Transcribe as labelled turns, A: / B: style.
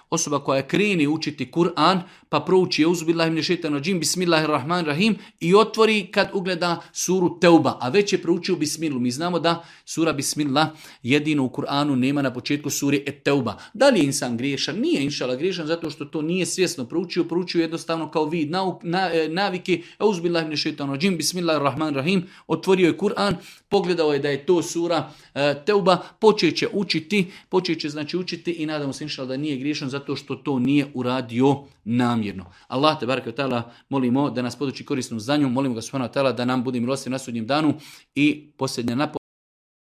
A: Osoba koja kreni učiti Kur'an, pa prouči Euzubillahi mine šeitanir radžim, Bismillahirrahmanirrahim i otvori kad ugleda suru Teuba, a već je proučio Bismilu. Mi znamo da sura Bismillah jedino u Kur'anu nema na početku suri Et-Teuba. Da li je insan griješan? Nije inshallah griješan zato što to nije svjesno proučio jednostavno kao vid navike Euzubillahi mine šeitanir radžim, Bismillahirrahmanirrahim, otvorio je Kur'an, pogledao je da je to sura Teuba, počet će učiti i nadamo se inshallah da nije griješan zato što to nije uradio namjerno. Allah te bareke ve taala molimo da nas poduči korisnom znanju, molimo ga subhanahu wa taala da nam bude milostiv na sudnjem danu i posljednja napomena